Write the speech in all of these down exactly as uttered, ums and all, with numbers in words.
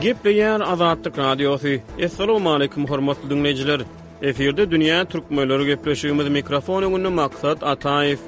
Gepleýär Azatlyk Radiosy. Assalamualaikum hormatly dinleýjiler. Efirde Dünýä Türkmenleri gepleşigimiz mikrofon öňünde Maksat Ataýew.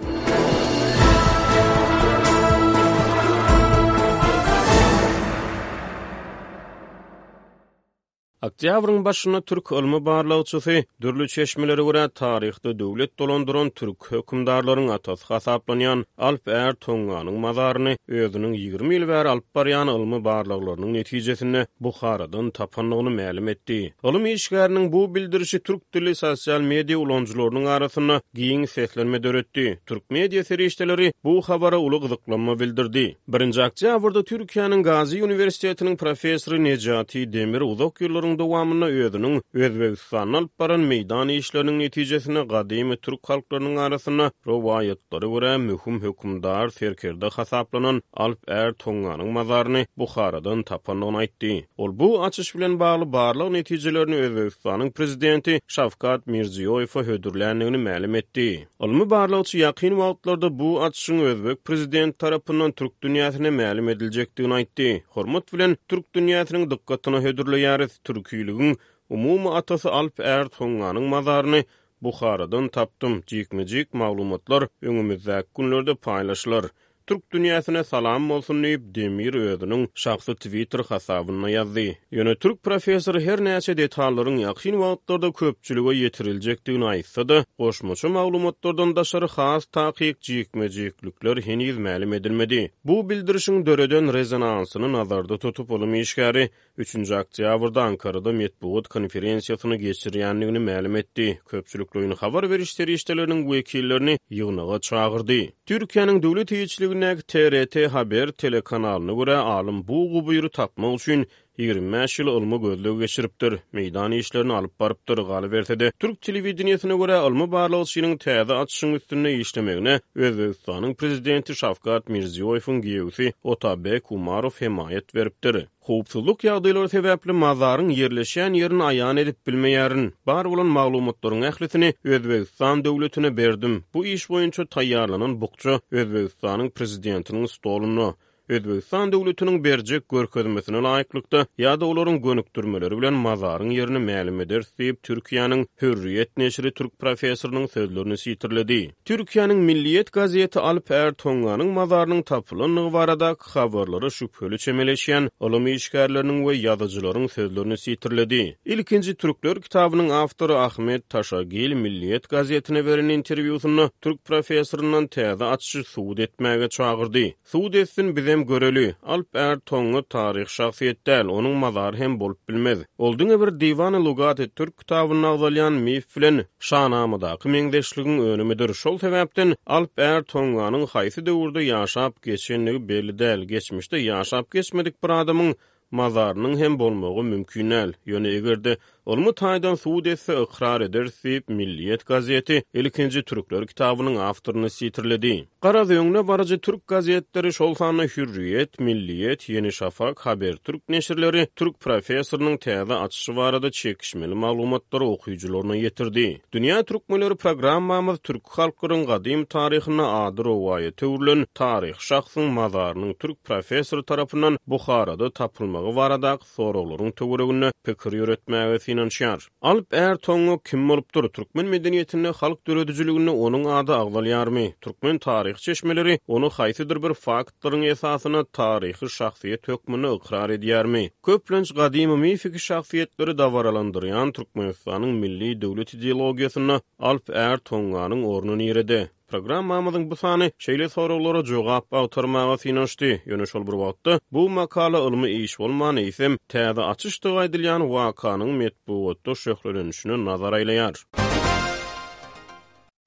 Oktýabryň başynda türk ylmy barlagçysy dürli çeşmelere görä taryhda döwlet dolandyran türk hökümdarlaryň atasy hasaplanýan Alp Är Tonganyň mazaryny özüniň ýigrimi ýyl bäri alyp barýan ylmy barlaglarynyň netijesinde Buharadan tapandygyny mälim etdi. Ylym işgäriniň bu bildirişi türk dilli sosial media ulanyjylarynyň arasynda giň seslenme döretdi. Türk media serişdeleri bu habara uly gyzyklanma bildirdi. Birinji oktýabrda Türkiýäniň Gazi Uniwersitetiniň professory Necati Demir uzak ýyllaryň dowamynda özüniň Özbegistanda alyp baran meýdan işleriniň netijesinde gadymy türk halklarynyň arasynda rowaýatlara görä möhüm hökümdar serkerde hasaplanan Alp Är Tonganyň mazaryny Buharadan tapandygyny aýtdy. Ol bu açyş bilen bagly barlag netijelerini Özbegistanyň prezidenti Şawkat Mirziýoýewe hödürländigini mälim etdi. Ylmy barlagçy ýakyn wagtlarda bu açyşyň Özbek prezidenti tarapyndan türk dünýäsine mälim ediljekdigini aýtdy. Hormat bilen türk dünýäsiniň dykgatyna hödürleýäris. Türkiligiň umumy atasy Alp Är Tonganyň mazaryny Buharadan tapdym. Jikme-jik maglumatlar öňümizdäki günlerde paýlaşylar. Türk dünýäsine salam bolsun diýip Demir özüniň şahsy Twitter hasabynda ýazdy. Ýöne türk professory her näçe detallaryň ýakyn wagtlarda köpçülige ýetiriljekdigini aýtsa-da, goşmaça maglumatlardan daşary has takyk jikme-jiklikler heniz mälim edilmedi. Bu bildirişiň döreden rezonansyny nazarda tutup ylym işgäri üçünji oktýabrda Ankarada metbugat konferensiýasyny geçirýändigini mälim etdi. Köpçülikleýin habar beriş serişdeleriniň wekillerini ýygnaga çagyrdy. Türkiýäniň döwlet eýeçiligindäki T R T Haber telekanalyna görä alym bu gubyry tapmak üçin ýigrimi bäş ýyl ylmy gözleg geçiripdir, meýdan işlerini alyp barypdyr. Galyberse-de, türk telewideniýesine görä ylmy barlagçynyň täze açyşyň üstünde işlemegine Özbegistanyň prezidenti Şawkat Mirziýoýewiň giýewsi Otabek Umarow hemaýat beripdir. Howpsuzlyk ýagdaýlary sebäpli mazaryň ýerleşýän ýerini aýan edip bilmeýärin. Bar bolan maglumatlaryň ählisini Özbegistan döwletine berdim. Bu iş boýunça taýýarlanan bukja Özbegistanyň prezidentiniň stolunda. Özbegistan döwletiniň berjek görkezmesine laýyklykda ýa-da olaryň gönükdirmeleri bilen mazaryň ýerini mälim ederis diýip Türkiýäniň Hürriýet neşiri türk professorynyň sözlerini sitirledi. Türkiýäniň Milliýet gazeti Alp Är Tonganyň mazarynyň tapylandygy baradaky habarlara şübheli çemeleşýän ylym işgärleriniň we ýazyjylaryň sözlerini sitirledi. Ilkinji Türkler kitabynyň awtory Ahmet Taşagil Milliýet gazetine beren interwýusynda türk professoryndan täze açyşy subut etmäge çagyrdy. Subut etsin bizem göreli. Alp Är Tonga taryh şahsyýet däl, onuň mazary hem bolup bilmez. Ol diňe bir Diwany Lugat-y Türk kitabynda agzalýan mif bilen Şanamadaky meňzeşligiň önümidir. Şol sebäpden Alp Är Tonganyň haýsy döwürde ýaşap geçendigi belli däl. Geçmişde ýaşap geçmedik bir adamyň mazarynyň hem bolmagy mümkin däl. Ýöne eger-de ylmy taýdan subut etse ykrar ederis diýip Milliýet gazeti ilkinji Türkler kitabynyň awtoryny sitirledi. Garaz öňüne baryjy türk gazetleri şol sanda Hürriýet, Milliýet, Ýeni Şafak, Haber Türk neşirleri türk professorynyň täze açyşy barada çekişmeli maglumatlary okyjylaryna ýetirdi. Dünýä Türkmenleri programmamyz türk halklaryň gadym taryhyna ady rowaýata öwrülen taryh şahsyň mazarynyň türk professory tarapyndan Buharada tapylmagy baradaky soraglaryň töwereginde pikir ýöretmäge synanyşýar. Alp Är Tonga kim bolupdyr? Türkmen medeniýetinde halk döredijiliginde onuň ady agzalýarmy? Türkmen taryh çeşmeleri ony haýsydyr bir faktlaryň esasyna taryhy şahsyýet hökmünde ykrar edýärmi? Köplenç gadymy mifiki şahsyýetleri dabaralandyrýan Türkmenistanyň milli döwlet ideologiýasynda Alp Är Tonganyň orny nirede? Programmamyzyň bu sany şeýle soraglara jogap agtarmaga synanyşdy. Ýöne şol bir wagtda bu makala ylmy iş bolman eýsem täze açyşdygy aýdylýan wakanyň metbugatda şöhlelenişine nazar aýlaýar.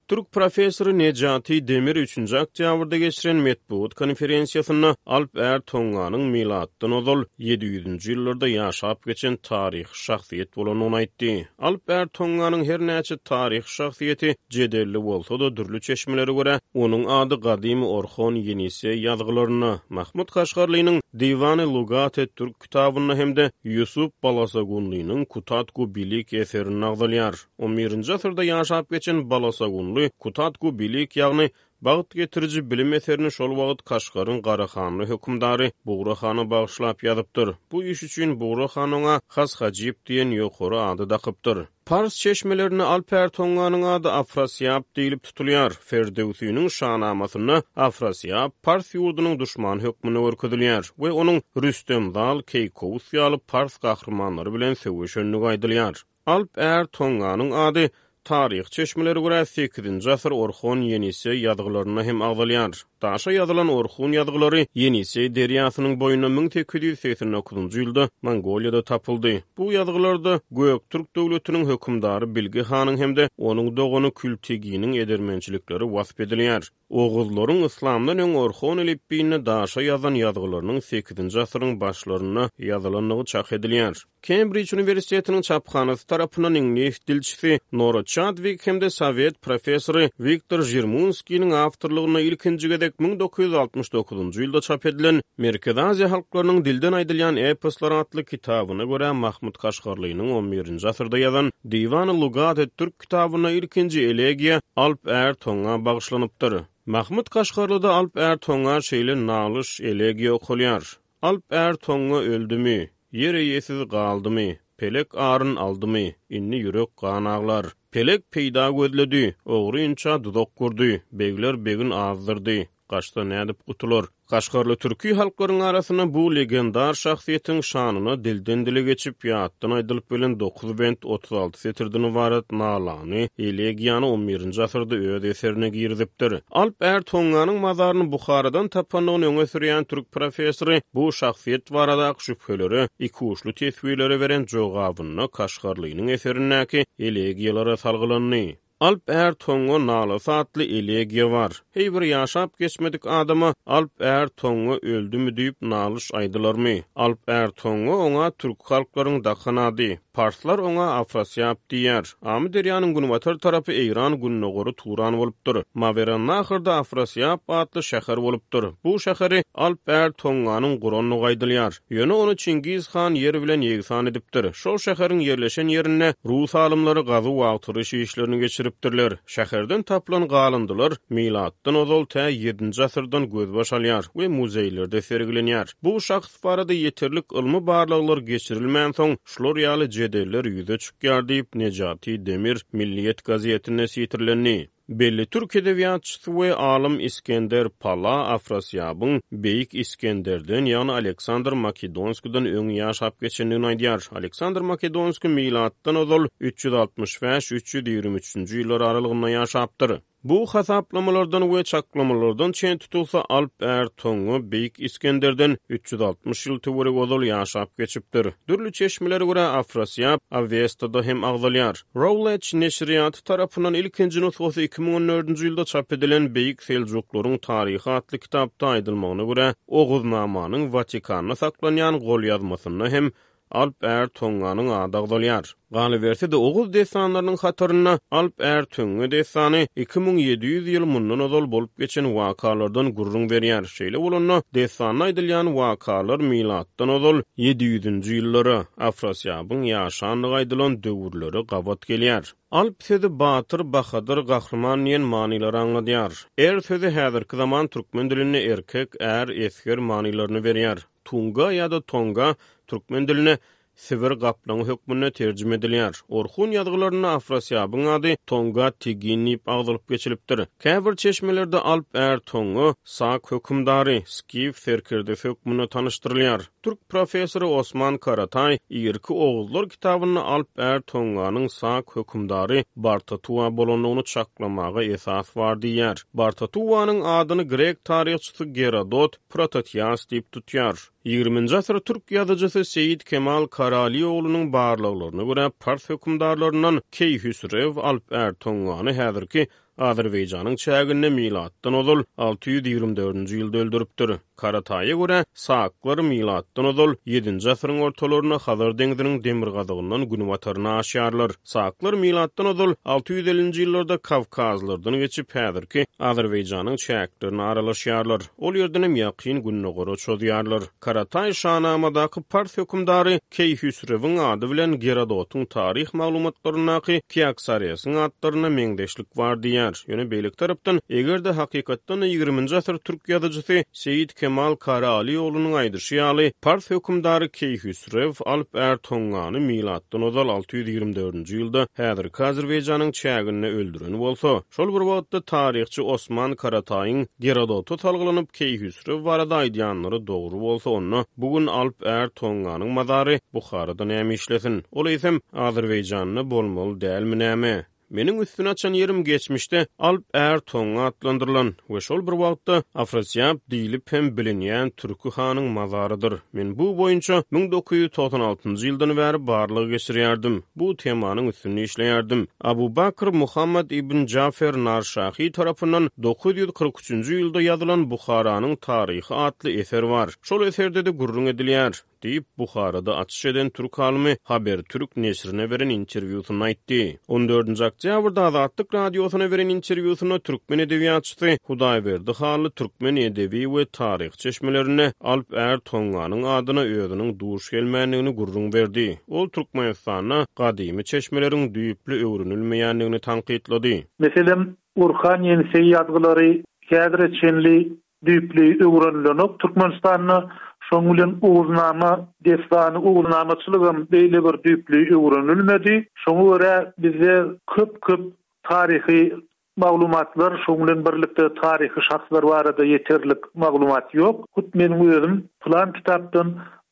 Türk professory Necati Demir üçünji oktýabrda geçiren metbugat konferensiýasynda Alp Är Tonganyň milatdan ozal ýedi ýüzünji ýyllarda ýaşap geçen taryhy şahsyýet bolandygyny aýtdy. Alp Är Tonganyň her näçe taryhy şahsyýeti jedelli bolsa-da dürli çeşmelere görä onuň ady gadymy Orhon Ýenisey ýazgylarynda, Mahmud Kaşgarlynyň Diwany Lugat-e Türk kitabynda hem-de Ýusup Balasagunlynyň Kutatgu Bilik eserinde agzalýar. on birinji asyrda ýaşap geçen Balasagunly Kutatgu Bilik ýagny Bagt getiriji bilim eserini şol wagt Kaşgaryň Garahanly hökümdary Bugra hana bagyşlap ýazypdyr. Bu iş üçin Bugra han oňa Has Hajyp diýen ýokary ady dakypdyr. Pars çeşmelerinde Alp Är Tonganyň ady Afrasýap diýlip tutulýar. Ferdöwsiniň Şanamasynda Afrasýap pars ýurdunyň duşmany hökmünde görkezilýär we onuň Rüstem Zal, Keýkowus ýaly pars gahrymanlary bilen söweşendigi aýdylýar. Alp Är Tonganyň ady taryh çeşmelere görä sekizinji asyr Orhon Ýeniseý ýazgylarynda hem agzalýar. Daşa ýazylan Orhun ýazgylary Ýeniseý derýasynyň boýunda müň sekiz ýüz segsen dokuzynjy ýylda Mongoliýada tapyldy. Bu ýazgylarda Göktürk döwletiniň hökümdary Bilge hanyň hem-de onuň dogany Külteginiň edermençilikleri wasp edilýär. Oguzlaryň yslamdan öň Orhon elipbiýinde daşa ýazan ýazgylarynyň sekizinji asyryň başlarynda ýazylandygy çak edilýär. Kembrij Uniwersitetiniň çaphanasy tarapyndan iňlis dilçisi Nora Çadwik hem-de sowet professory Wiktor Žirmunskiniň awtorlygynda ilkinji gezek müň dokuz ýüz altmyş dokuzynjy ýylda çap edilen Merkezi Aziýa halklarynyň dilden aýdylýan eposlar atly kitabyna görä Mahmud Kaşgarlynyň on birinji asyrda ýazan Diwany Lugat Türk kitabynda ilkinji elegiýa Alp Är Tonga bagyşlanypdyr. Mahmud Kaşgarlyda Alp Är Tonga şeýle nalyş elegiýa okalýar. Alp Är Tonga öldümi, ýer eýesiz galdymy, pelek aryn aldymy, indi ýürek gan aglar. Pelek peýda gözledi, ogry inça duzak gurdy, begler begin azdyrdy, gaçsa nädip gutular. Kaşgarly türki halklaryň arasynda bu legendar şahsyýetiň şanyna dilden dile geçip, ýatdan aýdylyp gelen dokuz bent otuz alty setirden ybarat nalany elegiýany on birinji asyrda öz eserine girizipdir. Alp Är Tonganyň mazaryny Buharadan tapandygyny öňe sürýän türk professory bu şahsyýet baradaky şübhelere, iki uçly teswirlere beren jogabynda Kaşgarlynyň eserindäki elegiýalara salgylandy. Alp Är Tonga nalasy atly elegiýa bar. Hey bir ýaşap geçmedik adama Alp Är Tonga öldümi diýip nalyş aýdylarmy? Alp Är Tonga oňa türk halklaryň dakan ady. Parslar oňa Afrasýap diýer. Amy derýanyň günbatar tarapy Eýran gündogory Turan bolupdyr. Mawerannahyrda Afrasýap atly şäher bolupdyr. Bu şäheri Alp Är Tonganyň gurandygy aýdylýar. Ýöne ony Çingiz han ýer bilen ýegsan edipdir. Şol şäheriň ýerleşen ýerinde Rus alymlary gazuw agtaryş işlerini geçiripdirler. Şäherden tapylan galyndylar milatdan ozal tä ýedinji asyrdan gözbaş alýar we muzeýlerde sergilenýär. Bu şahs barada ýeterlik ylmy barlaglar geçirilmän soň şular ýaly jedeller ýüze çykýar diýip Nejati Demir Milliýet gazetinde sitirlendi. Belli türk edebiýatçysy we alym Iskender Pala Afrasýabyň Beýik Iskenderden, ýagny Aleksandr Makedonskidan öň ýaşap geçendigini aýdýar. Aleksandr Makedonski milatdan ozal üç ýüz altmyş bäş üç ýüz ýigrimi üçünji ýyllar aralygynda ýaşapdyr. Bu hasaplamalardan we çaklamalardan çen tutulsa Alp Är Tonga Beýik Iskenderden üç ýüz altmyş ýyl töweregi ozal ýaşap geçipdir. Dürli çeşmelere görä Afrasýap Awestada hem agzalýar. Routledge neşirýaty tarapyndan ilkinji nusgasy iki müň on dördünji ýylda çap edilen Beýik Seljuklaryň taryhy atly kitapda aýdylmagyna görä Oguznamanyň Watikanda saklanýan golýazmasynda hem Alp Är Tonganyň ady agzalýar. Galyberse-de Oguz dessanlarynyň hatarynda Alp Är Töňňe dessany iki müň ýedi ýüz ýyl mundan ozal bolup geçen wakalardan gürrüň berýär. Şeýle bolanda dessanda aýdylýan wakalar milatdan ozal ýedi ýüzünji ýyllara Afrasýabyň ýaşandygy aýdylan döwürlere gabat gelýär. Alp sözi batyr, bahadyr, gahryman diýen manylary aňladýar. Er sözi häzirki zaman türkmen dilinde erkek, är, esger manylaryny berýär. Tunga ýa-da Tonga türkmen diline Sibir gaplaňy hökmünde terjime edilýär. Orhun ýazgylarynda Afrasýabyň ady Tonga Tigin diýip agzalyp geçilipdir. Käbir çeşmelerde Alp Är Tonga Sak hökümdary, Skif serkerdesi hökmünde tanyşdyrylýar. Türk professory Osman Karatay irki Oguzlar kitabynda Alp Är Tonganyň Sak hökümdary Bartatuwa bolandygyny çaklamaga esas bar diýýär. Bartatuwanyň adyny grek taryhçysy Gerodot Prototias diýip tutýar. Ýigriminji asyr türk ýazyjysy Seýid Kemal Karalioğlunyň barlaglaryna görä pars hökümdarlaryndan Keýhüsrew Alp Är Tongany häzirki Azerbaýjanyň çäginde milatdan ozal alty ýüz ýigrimi dördünji ýylda öldüripdir. Karataýa görä Saklar milatdan ozal ýedinji asyryň ortalarynda Hazar deňziniň demirgazygyndan günbataryna aşýarlar. Saklar milatdan ozal alty ýüz ellinji ýyllarda Kawkazlardan geçip häzirki Azerbaýjanyň çäklerine aralaşýarlar. Ol ýerden hem ýakyn gündogara çozýarlar. Karataý Şanamadaky pars hökümdary Keýhüsrewiň ady bilen Gerodotyň taryh maglumatlaryndaky Kiaksaresiň atlaryna meňzeşlik bar diýýär. edilýär. Ýöne beýleki tarapdan, eger-de hakykatdan-da ýigriminji asyr türk ýazyjysy Seýit Kemal Karaalioglunyň aýdyşy ýaly, pars hökümdary Keýhüsrew Alp Är Tongany milatdan ozal alty ýüz ýigrimi dördünji ýylda häzirki Azerbaýjanyň çäginde öldüren bolsa, şol bir wagtda taryhçy Osman Karataýyň Gerodota salgylanyp Keýhüsrew barada aýdýanlary dogry bolsa, onda bu gün Alp Är Tonganyň mazary Buharada näme işlesin? Ol eýsem Azerbaýjanda bolmaly dälmi näme? Meniň üstüni açan ýerim geçmişde Alp Är Tonga atlandyrylan we şol bir wagtda Afrasiýab diýlip hem bilinýän türki hanyň mazarydyr. Men bu boýunça müň dokuz ýüz togsan altynjy ýyldan bäri barlag geçirýärdim. Bu temanyň üstünde işleýärdim. Abu Bakr Muhammad ibn Jafer Narşahi tarapyndan dokuz ýüz kyrk üçünji ýylda ýazylan Buharanyň taryhy atly eser bar. Şol eserde-de gürrüň edilýär, diýip, Buharada açyş eden türk alymy Habertürk neşirine beren interwýusynda aýtdy. On dördünji oktýabrda Azatlyk Radiosyna beren interwýusynda türkmen edebiýatçysy Hudaýberdi Hally türkmen edebi we taryhy çeşmelerinde Alp Är Tonganyň adyna özüniň duş gelmändigini gürrüň berdi. Ol Türkmenistanda gadymy çeşmeleriň düýpli öwrenilmeýändigini tankytlady. Meselem, Orhan Ýeniseý ýazgylary häzire çenli düýpli öwrenilenok Türkmenistanda. Şoň bilen Oguznama dessany, Oguznamaçylygam beýle bir düýpli öwrenilmedi. Şoňa görä bizde köp-köp taryhy maglumatlar, şoň bilen birlikde taryhy şahslar barada ýeterlik maglumat ýok. Hut meniň özüm plan kitapdan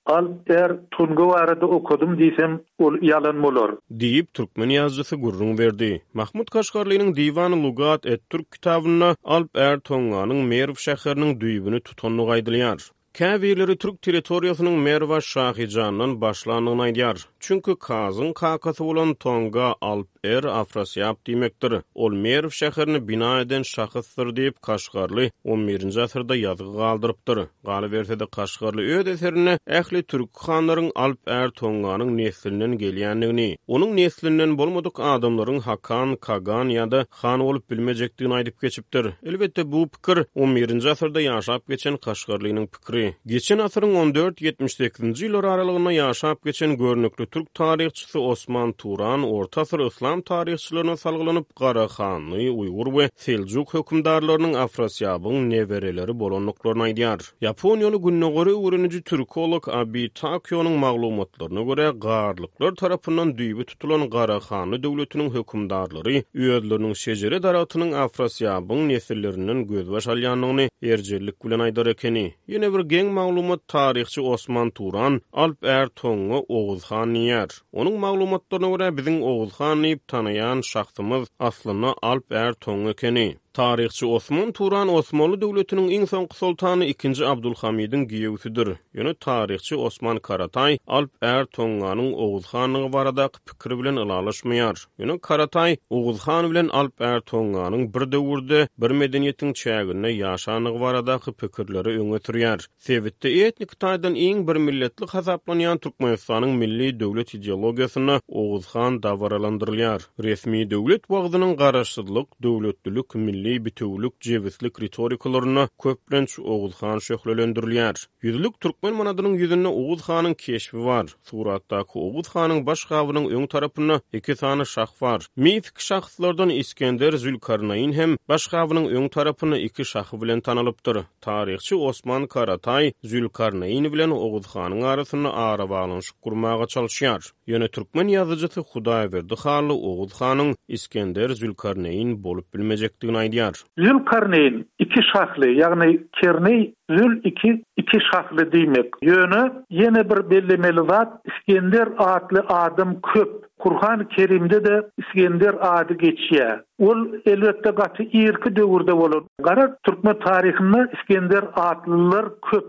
Alp Är Tonga barada okadym diýsem, ol ýalan bolar. Diýip, türkmen ýazyjysy gürrüň berdi. Mahmut Kaşgarlynyň Diwan Lugat et Türk kitabynda Alp Är Tonganyň Merw şäheriniň düýbüni tutandygy aýdylýar. Käbirleri türk territoriýasynyň Merwa Şahijandan başlandygyny aýdýar. Çünki Kazyň kakasy bolan Tonga Alp Är Afrasiýab diýmekdir. Ol Merw şäherini bina eden şahysdyr diýip, Kaşgarly on birinji asyrda ýazgy galdyrypdyr. Galyberse-de Kaşgarly öz eserinde ähli türk hanlaryň Alp Är Tonganyň neslinden gelýändigini, onuň neslinden bolmadyk adamlaryň Hakan, Kagan ýa-da han bolup bilmejekdigini aýdyp geçipdir. Elbetde bu pikir on birinji asyrda ýaşap geçen Kaşgarlynyň pikiri. Geçen asyryň on dört ýetmiş sekizinji ýyllar aralygynda ýaşap geçen görnükli türk taryhçysy Osman Turan orta asyr yslam taryhçylaryna salgylanyp Garahanly, Uýgur we Seljuk hökümdarlarynyň Afrasiýabyň nebereleri bolandyklaryny aýdýar. Ýaponiýaly gündogary öwreniji türkolog Abi Takyonyň maglumatlaryna görä, garlyklar tarapyndan düýbi tutulan Garahanly döwletiniň hökümdarlary özleriniň şejere daragtynyň Afrasiýabyň nesillerinden gözbaş alýandygyny erjellik bilen aýdar ekeni. Ýene bir geň maglumat taryhçy Osman Turan Alp Är Tonga Oguz han diýýär. Onuň maglumatlaryna görä biziň Oguz han diýip tanaýan şahsymyz aslynda Alp Är Tonga ekeni. Taryhçy Osman Turan Osmanly döwletiniň iň soňky soltany ikinji Abdulhamidiň giýewsidir. Ýöne taryhçy Osman Karataý Alp Är Tonganyň Oguz hanlygy baradaky pikiri bilen ylalaşmaýar. Ýöne Karataý Oguz han bilen Alp Är Tonganyň bir döwürde bir medeniýetiň çäginde ýaşanlygy baradaky pikirleri öňe sürýär. Sebitde etnik taýdan iň bir milletli hasaplanýan Türkmenistanyň milli döwlet ideologiýasynda Oguz han dabaralandyrylýar. Resmi döwlet wagzynyň garaşsyzlyk, döwletlilik, milli bitewülik, jebislik ritorikalarynda köplenç Oguz han şöhlelendirilýär. Ýüzlük türkmen manadynyň ýüzünde Oguz hanyň keşbi bar. Suratdaky Oguz hanyň baş gabynyň öň tarapynda iki sany şah bar. Mifik şahslardan Iskender Zülkarnaýyn hem baş gabynyň öň tarapynda iki şahy bilen tanalypdyr. Taryhçy Osman Karataý Zülkarnaýyn bilen Oguz hanyň arasynda arabaglanyşyk gurmaga çalyşýar. Ýöne türkmen ýazyjysy Hudaýberdi Hally Oguz hanyň Iskender Zülkarnaýyn bolup bilmejekdigini aýdýar. Zülkarnaýyn iki şahly, ýagny Kerneý Zül iki, iki şahly diýmek. Ýöne ýene bir bellemeli zat, Iskender atly adam köp. Kur'an-ı Kerimde de İskender ady geçýär. Ol elbetde gaty irki döwürde bolan. Gara türkmen taryhynda İskender atlylar köp.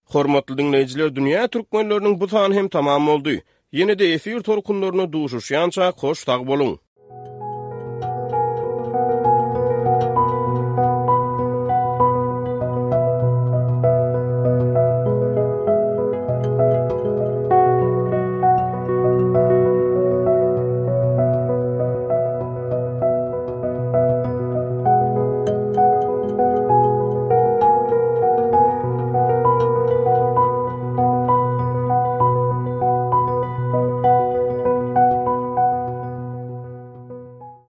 Hormatly dinleýjiler, dünýä türkmenleriniň bu sany hem tamam boldy. Ýene de efir tolkunlaryna duşuşýança hoş sag boluň.